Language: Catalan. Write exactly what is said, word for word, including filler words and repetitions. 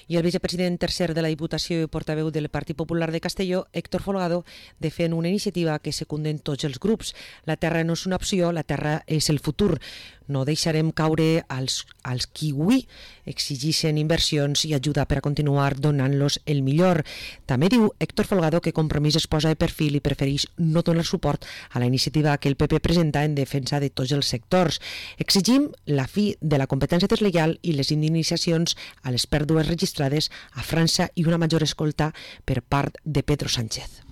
I el vicepresident tercer de la Diputació i portaveu del Partit Popular de Castelló, Héctor Folgado, defen una iniciativa que secunden tots els grups. La terra no és una opció, la terra és el futur. No deixarem caure als, als qui avui exigeixen inversions i ajuda per a continuar donant-los el millor. També diu Héctor Folgado que Compromís es posa de perfil i prefereix no donar suport a la iniciativa que el P P presenta en defensa de tots els sectors. Exigim la fi de la competència deslleial i les indemnitzacions a les pèrdues registrades a França i una major escolta per part de Pedro Sánchez.